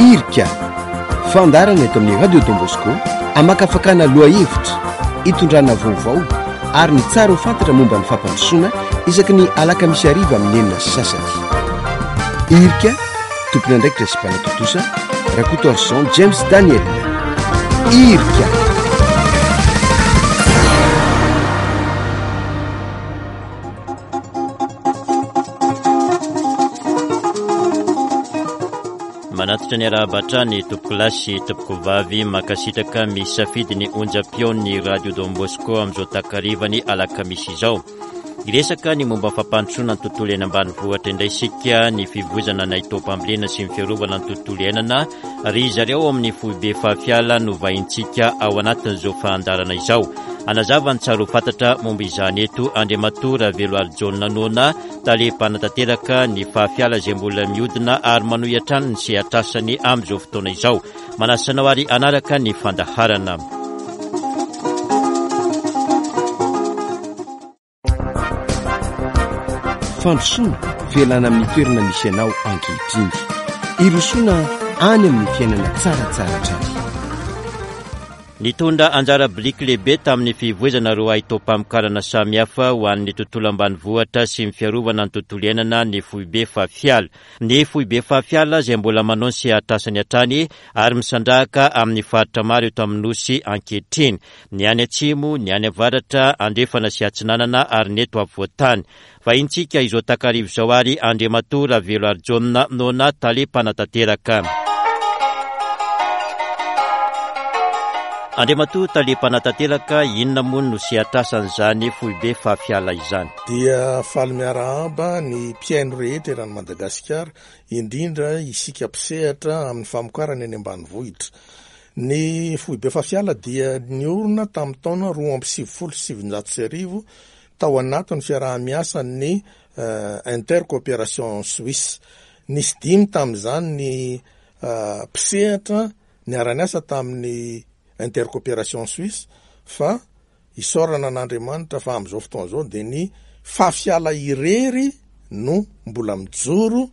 Irika, fandaharana eto amin'ny Radio Don Bosco hamakafakana lohahevitra, hitondrana vaovao ary ny tsara ho fantatra momba ny fampandrosoana isaky ny alakamisy hariva amin'ny 6:30. Irika, tompon'andraikitra sy mpanatontosa, Rakotoarison James Daniel. Irika. Manatitra ny arahaba hatrany tompokolahy sy tompokovavy mankasitraka misafidy ny onjam-peon'ny Radio Don Bosco amin'izao takarivany alakamisy izao. Hiresaka ny momba ny fampandrosoana ny tontolo eny ambanivohitra indray isika, ny fivoizana ny haitaom-pambolena sy ny fiarovana ny tontolo iainana ry zareo ao amin'ny foibe Fahafiala no vahintsika ao anatin'izao fandaharana izao. Hanazava ny tsara ho fantatra momba izany eto Andriamatoa Raveloarijaona Nona, tale mpanatanteraka ny Fahafiala izay mbola mihodina ary manohy hatrany ny sehatr'asany amin'izao fotoana izao. Manasa anao ary hanaraka ny fandaharana. Fandrosoana, fialana amin'ny toerana misy anao ankehitriny. Hirosoana any amin'ny fiainana tsaratsara hatrany. Nitondra anjara biriky lehibe tamin'ny fivoizana ireo haitaom-pamokarana samihafa ho an'ny tontolo ambanivohitra sy ny fiarovana ny tontolo iainana ny foibe Fafiala. Ny foibe Fafiala izay mbola manao ny sehatr'asany hatrany ary misandrahaka amin'ny faritra maro eto amin'ny Nosy ankehitriny. Ny any atsimo, ny any avaratra, andrefana sy atsinanana ary ny eto afovoan-tany. Vahintsika izao takariva izao ary Andriamatoa Raveloarijaona Nona, Tale mpanatanteraka. Andriamatoa Tale mpanatanteraka, inona moa no sehatr'asan'izany foibe Fafiala izany? Dia faly miarahaba ny mpihaino rehetra eran'i Madagasikara, indrindra isika mpisehatra amin'ny famokarana eny ambanivohitra. Ny Foibe Fafiala dia niorina tamin'ny taona 1992 tao anatin'ny fiaraha-miasan'ny Intercoopération Suisse. Nisy dimy tamin'izany ny mpisehatra niara-niasa tamin'ny Intercoopération Suisse fa Isaorana an'Andriamanitra fa amin'izao fotoana izao dia ny Fafiala irery no mbola mijoro,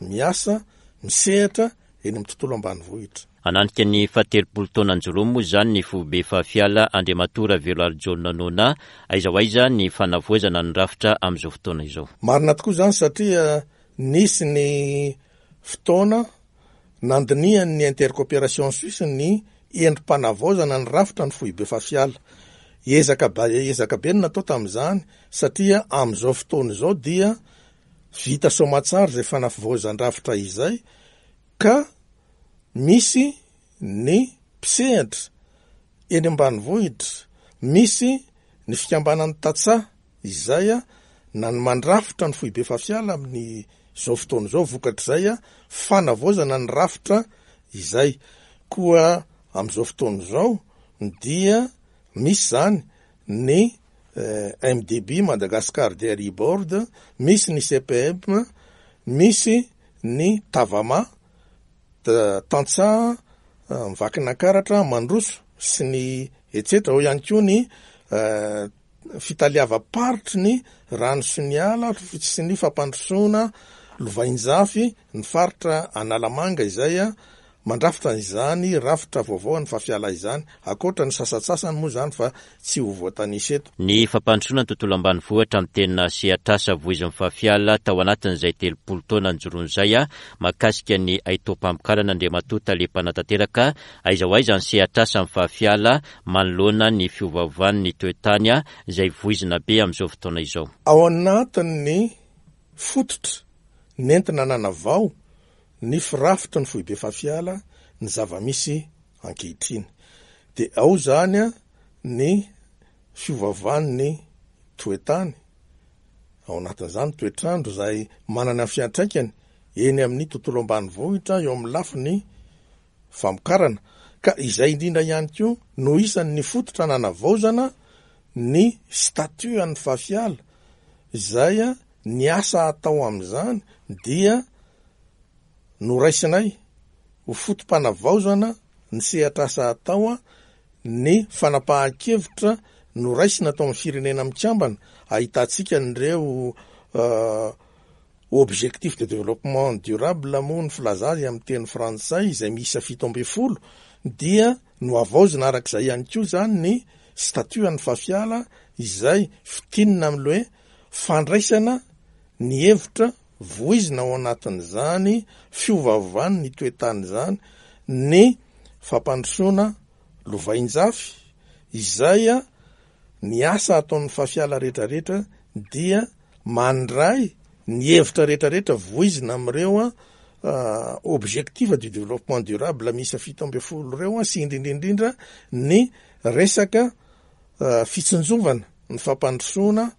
miasa, misehatra eny amin'ny tontolo ambanivohitra. Hananika ny fahatelopolo taona nijoroany moa izany ny foibe Fafiala Andriamatoa Raveloarijaona Nona. Aiza ho aiza ny fanavaozana ny rafitra amin'izao fotoana izao? Marina tokoa izany satria nisy ny fotoana Nandinihan'ny Intercoopération Suisse ny endri-panavaozana ny rafitra ny foibe Fafiala. Ezaka ezaka be no natao tamin'izany satria amin'izao fotoana izao dia vita soamatsara izay fanavaozan-drafitra izay ka misy ny mpisehatra eny ambanivohitra, misy ny fikambanan'ny tantsaha izay na ny mandrafitra ny foibe Fafiala amin'ny izao fotoana izao vokatr'izay fanavaozana ny rafitra izay. Koa amin'izao fotoana izao dia misy izany ny MDB, Madagascar Dairy Board, misy ny CPM, misy ny Tavama, tantsaha Vakinankaratra, Mandroso sy ny etsetra. Ao ihany koa ny fitaleavam-paritry ny rano sy ny ala sy ny fampandrosoana lovainjafy ny faritra Analamanga izay mandrafitra izany rafitra vaovao an'ny Fafiala izany, ankoatra ny sasantsasany moa izany fa tsy ho voatanisa eto. Ny fampandrosoana ny tontolo ambanivohitra no tena sehatr'asa voizin'ny Fafiala tao anatin'izay 30 taona nijoroany izay mahakasika ny haitaom-pamokarana Andriamatoa Tale Mpanatanteraka Aiza ho aiza ny sehatr'asan'ny Fafiala manoloana ny fiovaovan'ny toe-tany izay voizina be amin'izao fotoana izao? Ao anatin'ny fototra nentina nanavao ny firafitry ny foibe Fafiala ny zava-misy ankehitriny. Dia ao izany ny fiovaovan'ny toe-tany, ao anatin'izany toetr'andro izay manana fiantraikany eny amin'ny tontolo ambanivohitra eo amin'ny lafiny famokarana, ka izay indrindra ihany koa no isan'ny fototra nanavaozana ny statut an'ny Fafiala, izay ny asa atao amin'izany dia noraisinay ho foto-panavaozana ny sehatr'asa atao ny fanapahan-kevitra noraisina tao amin'ny Firenena Mikambana ahitantsika an'ireo. Objectifs de développement durable moa ny filaza azy amin'ny teny frantsay izay miisa 17 dia nohavaozina arak'izay ihany koa izany ny statut an'ny Fafiala izay fintinina amin'ilay hoe fandraisana ny hevitra voizina ao anatin'izany fiovaovan'ny toe-tany izany ny fampandrosoana lovainjafy izay ny asa ataon'ny Fafiala rehetrarehetra dia mandray ny hevitra rehetrarehetra voizina amin'ireo objectifs du développement durable miisa 17 ireo sy indrindra indrindra ny resaka fitsinjovana ny fampandrosoana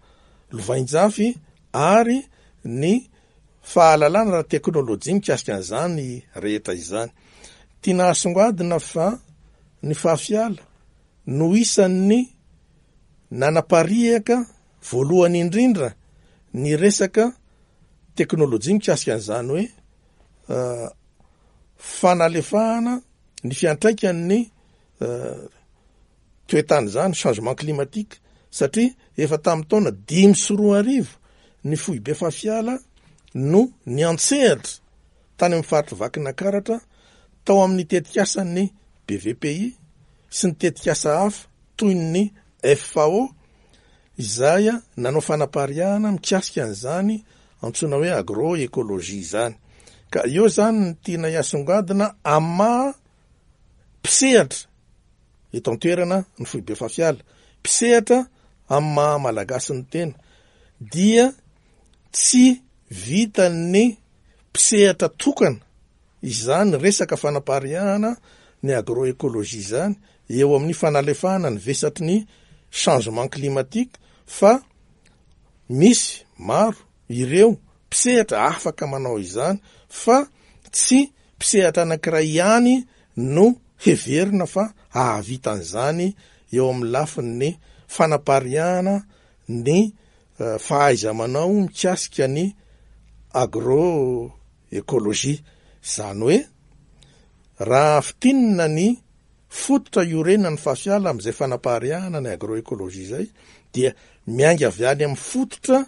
lovainjafy ary ny fahalalana ara-teknolojia mikasika an'izany rehetra izany. Tiana hasongadina fa ny Fafiala no isan'ny nanapariaka voalohany indrindra ny resaka teknolojia mikasika an'izany hoe fanalefahana ny fiantraikan'ny toe-tany izany, changement climatique, satria efa tamin'ny taona 2005 ny foibe Fafiala no niantsehatra tany amin'ny faritr'i Vakinakaratra tao amin'ny tetikasan'ny BVPI sy ny tetikasa hafa toy ny FAO izay nanao fanapariahana mikasika an'izany antsoina hoe agroecologie izany. Ka eo izany ny tiana hiasongadina amin'ny maha mpisehatra eto an-toerana ny foibe Fafiala, mpisehatra amin'ny maha Malagasy ny tena dia tsy vitan'ny mpisehatra tokana izany resaka fanapariahana ny agroecologie izany eo amin'ny fanalefahana ny vesatry ny changement climatique fa misy maro ireo mpisehatra afaka manao izany fa tsy mpisehatra anankiray ihany no heverina fa hahavita an'izany eo amin'ny lafin'ny fanapariahana ny fahaiza-manao mikasika ny agroecologie. Izany hoe raha fintinina ny fototra iorenan'ny Fafiala amin'izay fanapariahana ny agroecologie izay dia miainga avy any amin'ny fototra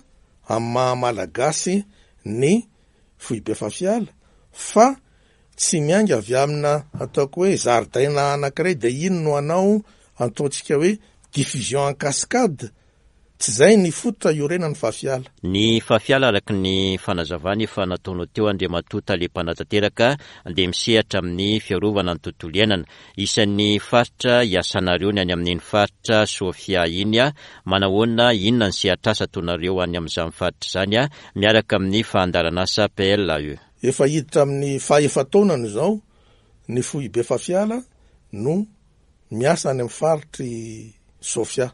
amin'ny maha Malagasy ny foibe Fafiala fa tsy miainga avy amina ataoko hoe zaridaina anankiray dia iny no hanao ataontsika hoe diffusion en cascade Tsy izay ny fototra iorenan'ny Fafiala. Ny Fafiala araka ny fanazavana efa nataonao teo Andriamatoa Tale Mpanatanteraka dia misehatra amin'ny fiarovana ny tontolo iainana. Isan'ny faritra iasanareo ny any amin'iny faritra Sofia iny. Manahoana, inona ny sehatr'asa ataonareo any amin'izany faritra izany miaraka amin'ny fandaharan'asa PLAE? Efa hiditra amin'ny faha-efa-taonany izao ny foibe Fafiala no miasa any amin'ny faritr'i Sofia.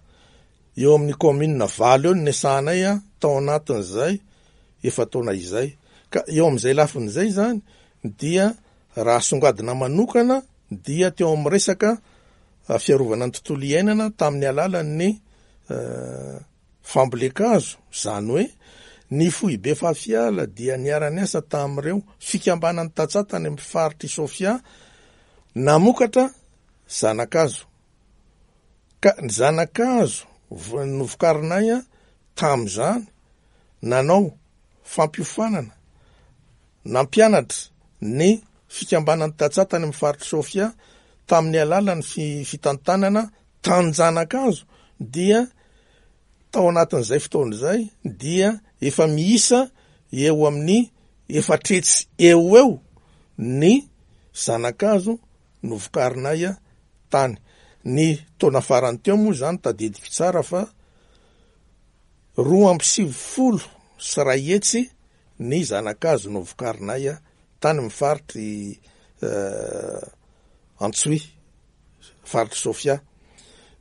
Eo amin'ny kaominina valo eo no niasanay tao anatin'izay efa-taona izay. Ka eo amin'izay lafiny izay izany dia raha asongadina manokana dia teo amin'ny resaka fiarovana ny tontolo iainana tamin'ny alalan'ny fambolen-kazo, izany hoe ny foibe Fafiala dia niara-niasa tamin'ireo fikambanan'ny tantsaha tany amin'ny faritr'i Sofia namokatra zana-kazo. Ka ny zana-kazo novokarinay tamin'izany, nanao fampiofanana, nampianatra ny fikambanan'ny tantsaha tany amin'ny faritr'i Sofia tamin'ny alalan'ny fitantanana tanin-janakazo dia tao anatin'izay fotoana izay dia efa miisa eo amin'ny efatretsy eo ho eo ny zana-kazo novokarinay tany. Ny taona farany teo moa izany tadidiko tsara fa 192 ny zana-kazo novokarinay tany amin'ny faritr'i Antsohihy, faritr'i Sofia.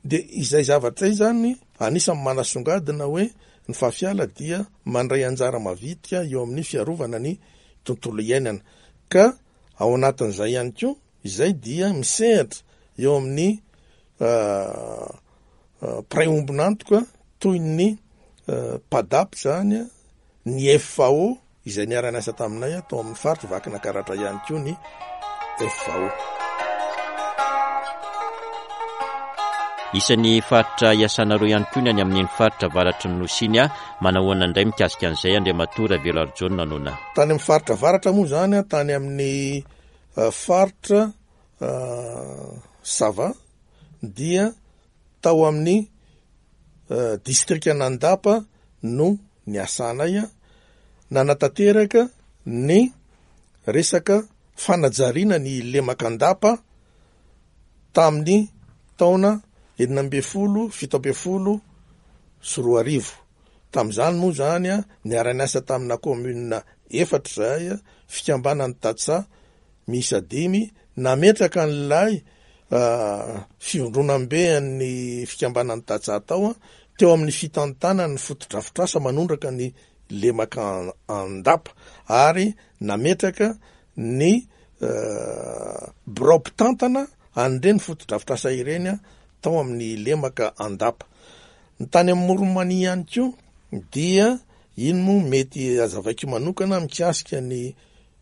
Dia izay zavatra izay izany anisan'ny manasongadina hoe ny Fafiala dia mandray anjara mavitrika eo amin'ny fiarovana ny tontolo iainana. Ka ao anatin'izay ihany koa izay dia misehatra eo amin'ny mpiray ombon'antoka toy ny PADAP izany, ny FAO izay niara-niasa taminay tao amin'ny faritr'i Vakinakaratra ihany koa ny FAO. Isan'ny faritra iasanareo ihany koa ny any amin'iny faritra avaratry ny Nosy iny. Manahoana indray mikasika an'izay Andriamatoa Raveloarijaona Nona? Tany amin'ny faritra avaratra moa izany, tany amin'ny faritra Sava dia tao amin'ny distrikan'Andapa no niasanay nanatanteraka ny resaka fanajariana ny lemak'Andapa tamin'ny taona 2016. Tamin'izany moa izany niara-niasa tamina commune efatra izahay, fikambanan'ny tantsaha miisa dimy, nametraka an'ilay fivondronambe an'ny fikambanan'ny tantsaha tao, teo amin'ny fitantanany ny fotodrafitrasa manondraka ny lemaka Andapa ary nametraka ny birao mpitantana an'ireny fotodrafitrasa ireny tao amin'ny lemaka Andapa. Ny tany amin'ny Moron'i Mania ihany koa dia iny moa mety hazavaiko manokana mikasika ny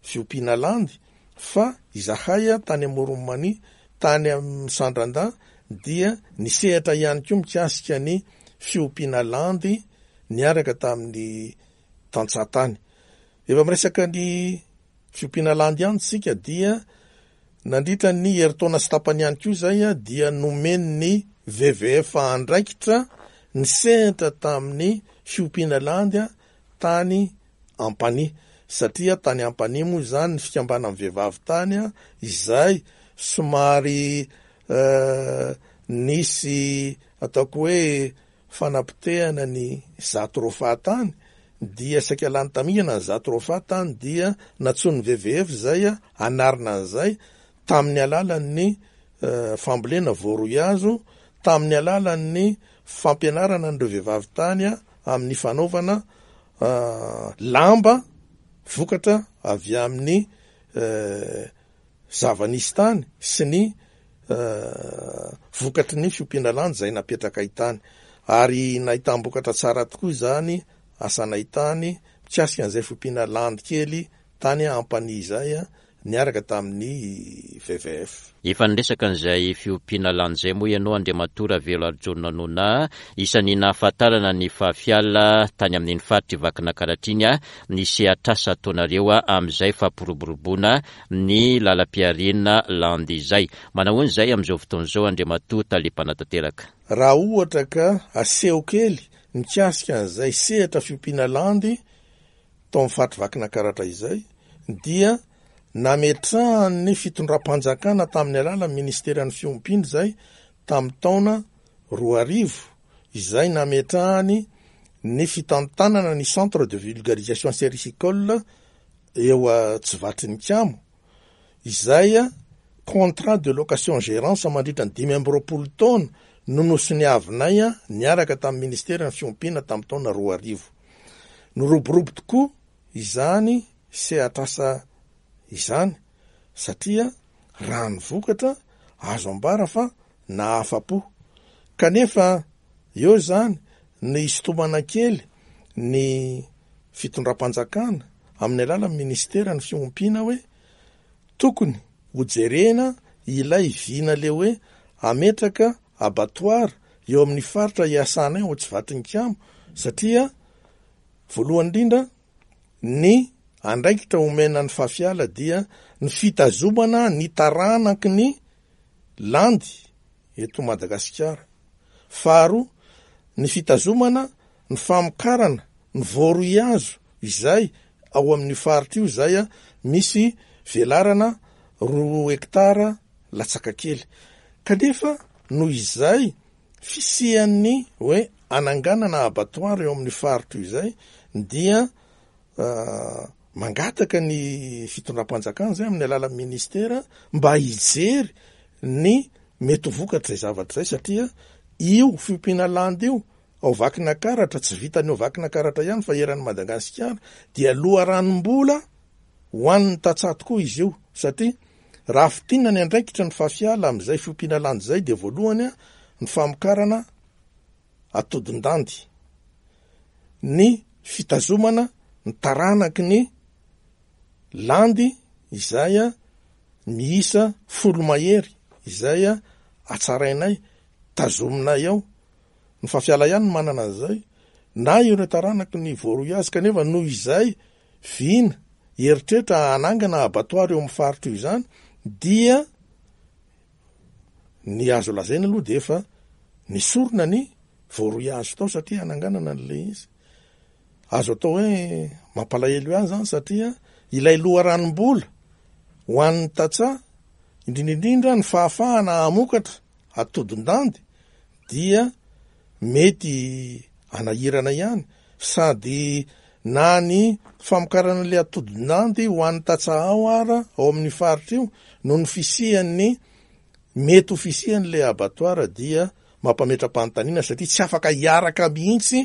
fiompiana landy fa izahay tany Amoron'i Mania, tany amin'ny Sandrandahy dia nisehatra ihany koa mikasika ny fiompiana landy niaraka tamin'ny tantsaha tany. Efa miresaka ny fiompiana landy ihany isika dia nandritra ny herintaona sy tapany ihany koa izay dia nomen'ny WWF andraikitra nisehatra tamin'ny fiompiana landy tany Ampanihy. Satria tany Ampanihy moa izany ny fikambanan'ny vehivavy tany izay somary nisy ataoko hoe fanapotehana ny Jatropha tany dia saika lany tamingana ny Jatropha tany dia nantsoin'ny WWF izay hanarina an'izay tamin'ny alalan'ny fambolena voaroihazo, tamin'ny alalan'ny fampianarana an'ireo vehivavy tany amin'ny fanaovana lamba vokatra avy amin'ny zava-nisy tany sy ny vokatry ny fiompiana landy izay napetrakay tany. Ary nahitam-bokatra tsara tokoa izany asanay tany mikasika an'izay fiompiana landy kely tany Ampanihy izay niaraka tamin'ny WWF. Efa niresaka an'izay fiompiana landy izay moa ianao Andriamatoa Raveloarijaona Nona, isan'ny nahafantarana ny Fafiala tany amin'iny faritr'i Vakinakaratra iny ny sehatr'asa ataonareo amin'izay fampiroboroboana ny lalam-pihariana landy izay. Manahoana izay amin'izao fotoana izao Andriamatoa Tale Mpanatanteraka? Raha ohatra ka aseho kely mikasika an'izay sehatra fiompiana landy tao amin'ny faritry Vakinakaratra izay dia nametrahan'ny fitondram-panjakana tamin'ny alalan'ny ministeran'ny fiompiana izay tamin'ny taona 2000 izay nametrahany ny fitantanana ny centre de vulgarisation sericicole eo Tsivatrinikamo izay contrat de location gérance mandritra ny 25 taona no nosoniavinay niaraka tamin'ny ministeran'ny fiompiana tamin'ny taona 2000. Niroborobo tokoa izany sehatr'asa izany satria raha ny vokatra azo ambara fa nahafa-po. Kanefa eo izany ny hisintomana kely ny fitondram-panjakana amin'ny alalan'ny ministeran'ny fiompiana hoe tokony hojerena ilay vina le hoe hametraka abattoir eo amin'ny faritra iasanay ao Tsivatrinikamo satria voalohany indrindra ny andraikitra omena ny Fafiala dia ny fitazomana ny taranaky ny landy eto Madagasikara. Faharoa, ny fitazomana ny famokarana ny voaroihazo izay ao amin'io faritra io izay misy velarana roa hektara latsaka kely. Kanefa noho izay fisian'ny hoe ananganana abattoir eo amin'io faritra io izay dia mangataka ny fitondram-panjakana izay amin'ny alalan'ny ministera mba hijery ny mety ho vokatr'izay zavatra izay satria io fiompiana landy io ao Vakinakaratra, tsy vitan'ny ao Vakinakaratra ihany fa eran'i Madagasikara dia loharanom-bola ho an'ny tantsaha tokoa izy io satria raha fintinina ny andraikitra ny Fafiala amin'izay fiompiana landy izay dia voalohany ny famokarana atodin-dandy, ny fitazomana ny taranaky ny landy izay miisa folo mahery izay hatsarainay. tazominay ao. Ny Fafiala ihany no manana an'izay, na ireo taranaky ny voaroy azy, kanefa noho izay vina, eritreritra hanangana abattoir eo amin'ny faritra io izany, dia ny azo lazaina aloha dia efa nesorina ny voaroy azy tao satria hananganana an'ilay izy. Azo atao hoe mampalahelo ihany izany satria ilay loharanom-bola ho an'ny tantsaha, indrindra indrindra ny fahafahana hamokatra atodin-dandy dia mety hanahirana ihany sady na ny famokarana ilay atodin-dandy ho an'ny tantsaha ao ara ao amin'io faritra io noho ny fisian'ny mety ho fisian'ilay abattoir dia mampametra-panontaniana satria tsy afaka hiaraka mihitsy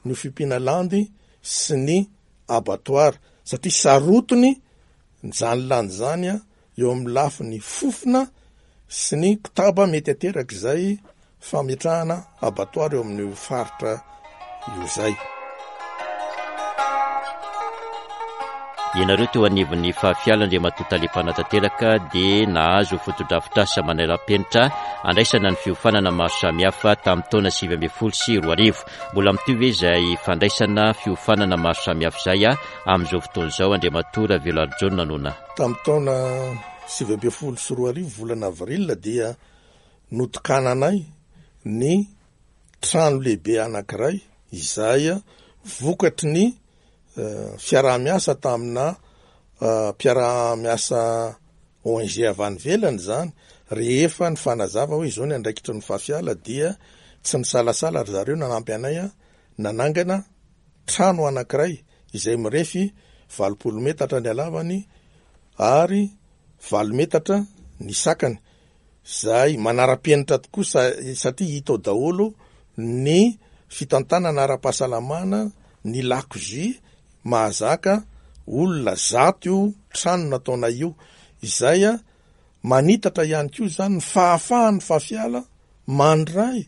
ny fiompiana landy sy ny abattoir satria sarotiny izany landy izany eo amin'ny lafiny fofona sy ny kotaba mety aterak'izay fametrahana abattoir eo amin'io faritra io izay. Ianareo teo anivon'ny Fahafiala Andriamatoa Tale Mpanatanteraka dia nahazo fotodrafitrasa manara-penitra andraisana ny fiofanana maro samihafa tamin'ny taona 2019. Mbola mitohy ve izay fandraisana fiofanana maro samihafa izay amin'izao fotoana izao Andriamatoa Raveloarijaona Nona? Tamin'ny taona 2019 volana avril dia notokananay ny trano lehibe anankiray izay vokatry ny fiaraha-miasa tamina mpiara-miasa ONG avy any ivelany izany, rehefa nifanazava hoe izao ny andraikitry ny Fafiala dia tsy nisalasala ry zareo nanampy anay nanangana trano anankiray izay mirefy 80 metatra ny halavany ary valo metatra ny sakany, izay manara-penitra tokoa satria hita ao daholo ny fitantanana ara-pahasalamana, ny lakozia mahazaka olona zato io trano nataonay io, izay manitatra ihany koa izany ny fahafahan'ny Fafiala mandray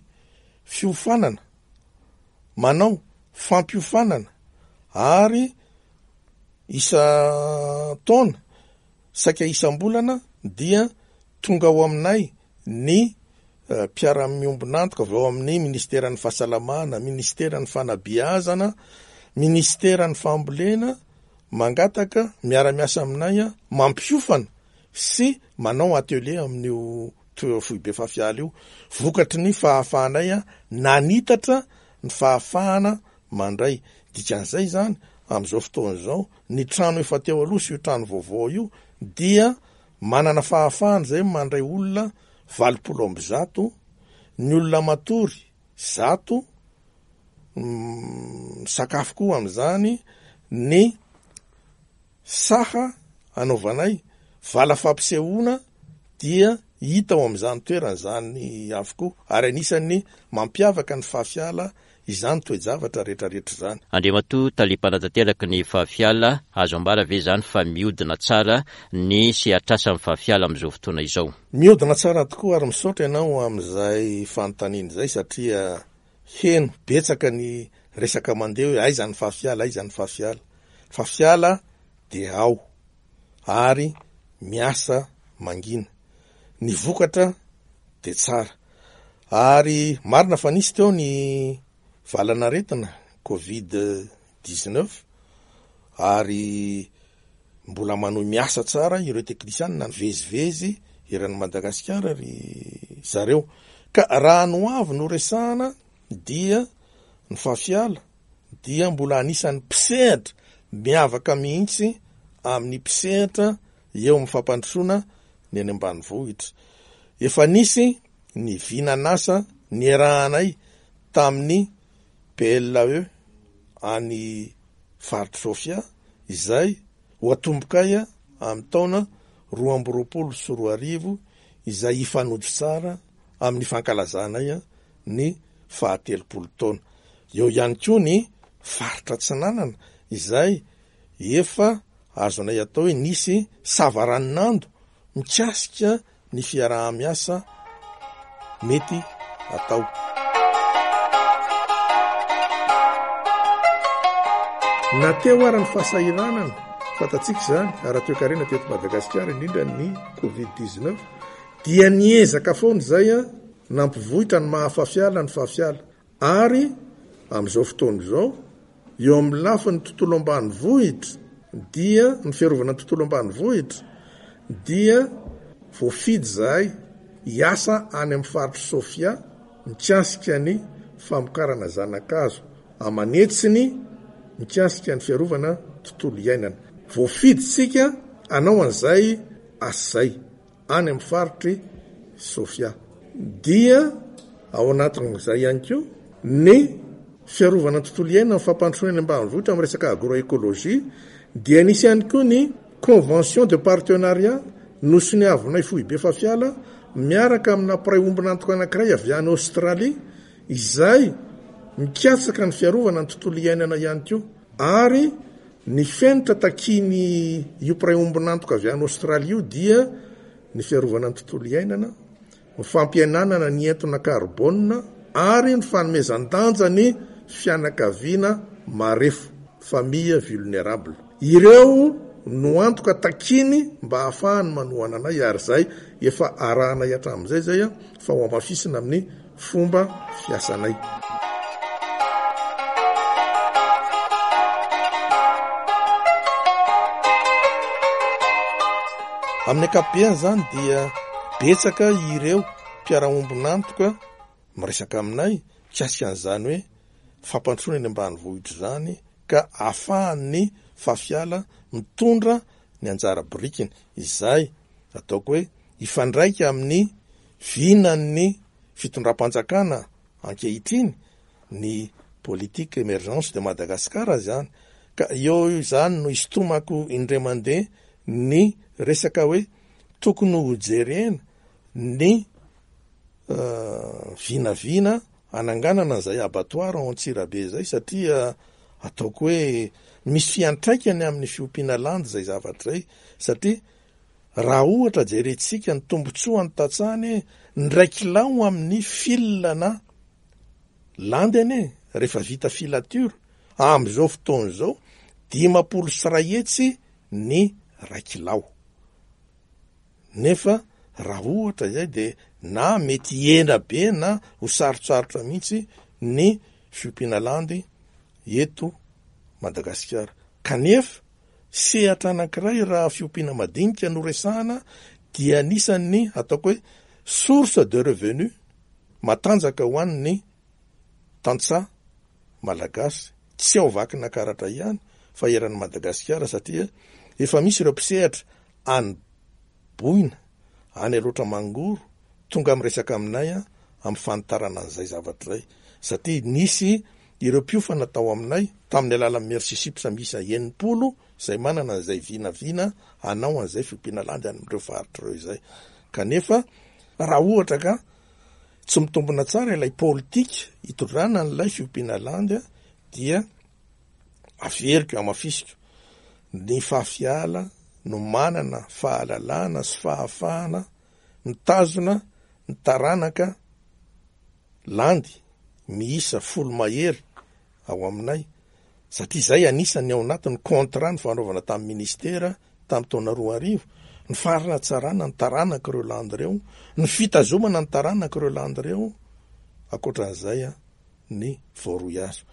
fiofanana, manao fampiofanana ary isan-taona Saika isam-bolana dia tonga ao aminay ny mpiara-miombon'antoka avy ao amin'ny Minisiteran'ny Fahasalamana, Minisiteran'ny Fanabeazana, Minisiteran'ny Fambolena mangataka miara-miasa aminay mampiofana sy manao atelier amin'io foibe Fafiala io. Vokatry ny fahafahanay nanitatra ny fahafahana mandray. Dikan'izay izany, amin'izao fotoana izao, ny trano efa teo aloha sy io trano vaovao io dia manana fahafahana izay mandray olona 180, ny olona matory zato, misakafo koa amin'izany, ny Saha anaovanay vala fampisehoana dia hita ao amin'izany toerana izany avokoa ary anisan'ny mampiavaka ny Fafiala izany toe-javatra rehetrarehetra izany. Andriamatoa Tale Mpanatanteraka ny Fafiala, azo ambara ve izany fa mihodina tsara ny sehatr'asan'ny Fafiala amin'izao fotoana izao? Mihodina tsara tokoa ary misaotra ianao amin'izay fanontaniana izay satria heno betsaka ny resaka mandeha hoe aiza ny Fafiala, aiza ny Fafiala. Fafiala dia ao ary miasa mangina. Ny vokatra dia tsara. Ary marina fa nisy teo ny valan'aretina covid 19 ary mbola manohy miasa tsara ireo teknisianina nivezivezy eran'i Madagasikara ry zareo. Ka raha ny ho avy no resahana dia ny Fafiala dia mbola anisan'ny mpisehatra miavaka mihitsy amin'ny mpisehatra eo amin'ny fampandrosoana ny any ambanivohitra. Efa nisy ny vinan'asa niarahanay tamin'ny PLAE any faritr'i Sofia izay ho atombokay amin'ny taona 2022 izay hifanojo tsara amin'ny fankalazanay ny fahatelopolo taona. Eo ihany koa ny faritra Atsinanana izay efa azonay atao hoe nisy savaranonando mikasika ny fiaraha-miasa mety atao. Na teo ara ny fahasahiranana, fantatsika izany, ara-toekarena teto Madagasikara, indrindra ny covid 19, dia niezaka foana izay. Nampivoitra ny maha Fafiala ny Fafiala. Ary amin'izao fotoana izao, eo amin'ny lafiny tontolo ambanivohitra dia, ny fiarovana ny tontolo ambanivohitra dia voafidy izahay hiasa any amin'ny faritr'i Sofia mikasika ny famokarana zana-kazo aman'hetsiny mikasika ny fiarovana tontolo iainana. Voafidy isika hanao an'izay asa izay. any amin'ny faritr'i Sofia. Dia ao anatin'izay ihany koa ny fiarovana ny tontolo iainana, ny fampandrosoana eny ambanivohitra amin'ny resaka agroécologie, dia nisy ihany koa ny convention de partenariat nosoniavinay foibe Fafiala miaraka amina mpiray ombon'antoka anankiray avy any Australie izay mikatsaka ny fiarovana ny tontolo iainana ihany koa ary Ny fenitra takiany io mpiray ombon'antoka avy any Aostralia io dia ny fiarovana ny tontolo iainana, ny fampihenanana ny entona karbônina ary ny fanomezan-danja ny fianakaviana marefo, famille vulnérable. Ireo no antoka takiany mba hahafahany manohana anay ary izay efa arahanay hatramin'izay izay fa ho hamafisina amin'ny fomba fiasanay. Amin'ny ankapobeny izany dia betsaka ireo mpiara-ombon'antoka miresaka aminay mikasika an'izany hoe fampandrosoana eny ambanivohitra izany ka ahafahan'ny Fafiala mitondra ny anjara birikiny izay ataoko hoe hifandraika amin'ny vinan'ny fitondram-panjakana ankehitriny ny politique emergence de Madagascar izany ka eo izany no isintomako indray mandeha ny resaka hoe tokony hojerena ny vinavina hananganana an'izay abattoir ao Antsirabe izay satria ataoko hoe misy fiantraikany amin'ny fiompiana landy izay zavatra izay satria Raha ohatra jerentsika ny tombotsoan'ny tantsaha anie ny iray kilao amin'ny fil na landy anie rehefa vita filature amin'izao fotoana izao 350 ny iray kilao. Nefa raha ohatra izay dia na mety hihena be na ho sarotsarotra mihitsy ny fiompiana landy eto Madagasikara. Kanefa Sehatra anankiray raha fiompiana madinika no resahana dia anisan'ny ataoko hoe source de revenu matanjaka ho an'ny tantsaha malagasy, tsy ao Vakinakaratra ihany fa eran'i Madagasikara satria efa misy ireo mpisehatra any Boina, any Alaotra Mangoro, tonga miresaka aminay amin'ny fanitarana an'izay zavatra izay satria nisy ireo mpiofana tao aminay tamin'ny alalan'ny Merci Chips miisa 60 izay manana an'izay vinavina hanao an'izay fiompiana landy any amin'ireo faritra ireo izay. Kanefa raha ohatra ka tsy mitombina tsara ilay politika hitondrana an'ilay fiompiana landy dia averiko, hamafisiko, ny Fafiala no manana fahalalana sy fahafahana mitazona ny taranaka landy miisa folo mahery ao aminay satria izay anisan'ny ao anatin'ny contrat nifanaovana tamin'ny ministera tamin'ny taona 2000, ny faharatsarana ny taranak'ireo landy ireo, ny fitazomana ny taranak'ireo landy ireo, ankoatran'izay ny voaroy azo.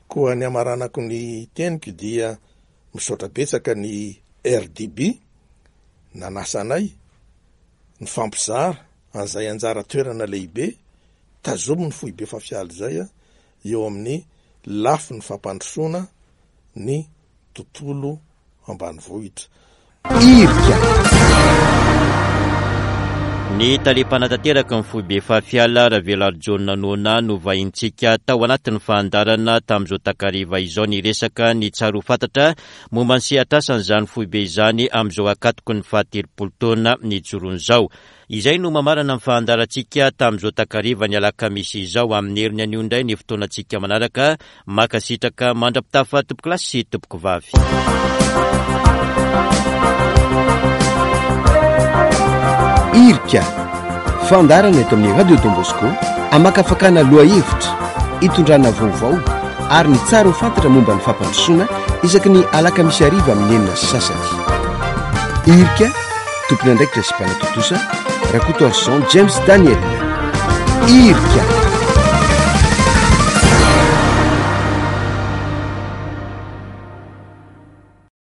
Koa ny hamaranako ny teniko dia misaotra betsaka ny RDB nanasa anay nifampizara an'izay anjara toerana lehibe tazomin'ny foibe Fafiala izay eo amin'ny lafiny fampandrosoana ny tontolo ambanivohitra. Irika. Ny tale mpanatanteraka ny foibe Fafiala, Ravelarijaona Nona no vahintsika tao anatin'ny fandaharana tamin'izao takariva izao niresaka ny tsara ho fantatra momba ny sehatr'asan'izany foibe izany amin'izao ankatoky ny fahatelopolo taona nijoroany izao. Izay no mamarana ny fahandarantsika tamin'izao takariva ny alakamisy izao. Amin'ny heriny anio indray ny fotoanantsika manaraka. Mankasitraka mandra-pitafa tompokolahy sy tompokovavy. Irika, fandaharana eto amin'ny Radio Don Bosco, amakafakana lohahevitra, itondrana vaovao ary ny tsara ho fantatra momba ny fampandrosoana isaky ny alakamisy hariva amin'ny 6:30. Irika, tompon'andraikitra sy mpanatontosa, Rakotoarison James Daniel. Irika.